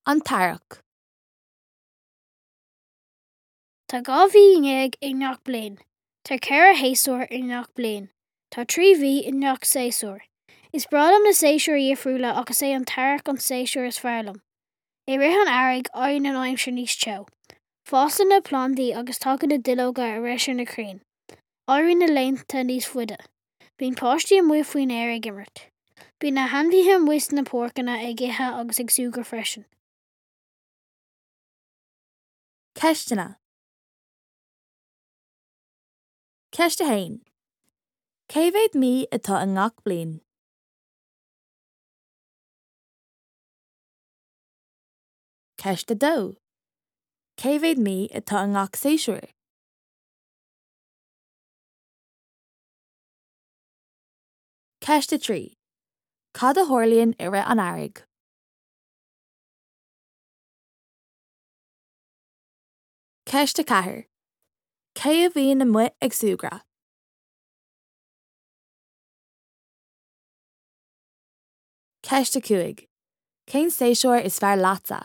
An tEarrach. Tá 12 mhí i ngach bliain. Tá 4 shéasúr i ngach bliain. Tá 3 mhí i ngach séasúr. Is breá liom na séasúir dhifriúla ach is é an t-earrach an séasúr is fearr liom. I rith an earraigh, éiríonn an aimsir níos teo. Fásann na plandaí agus tagann na duilleoga ar ais ar na crainn. Éiríonn na laethanta níos faide. Bíonn páistí amuigh faoin aer ag imirt. Bíonn na hainmhithe amuigh sna páirceanna ag ithe agus ag súgradh freisin. Ceisteanna. Ceist 1. Cé mhéad mí atá i ngach bliain? Ceist 2. Cé mhéad mí atá i ngach séasúr? Ceist 3. Cad a tharlaíonn i rith an earraigh? Ceist 4. Cé a bhíonn amuigh ag súgradh? Ceist 5. Cén séasúr is fearr leatsa?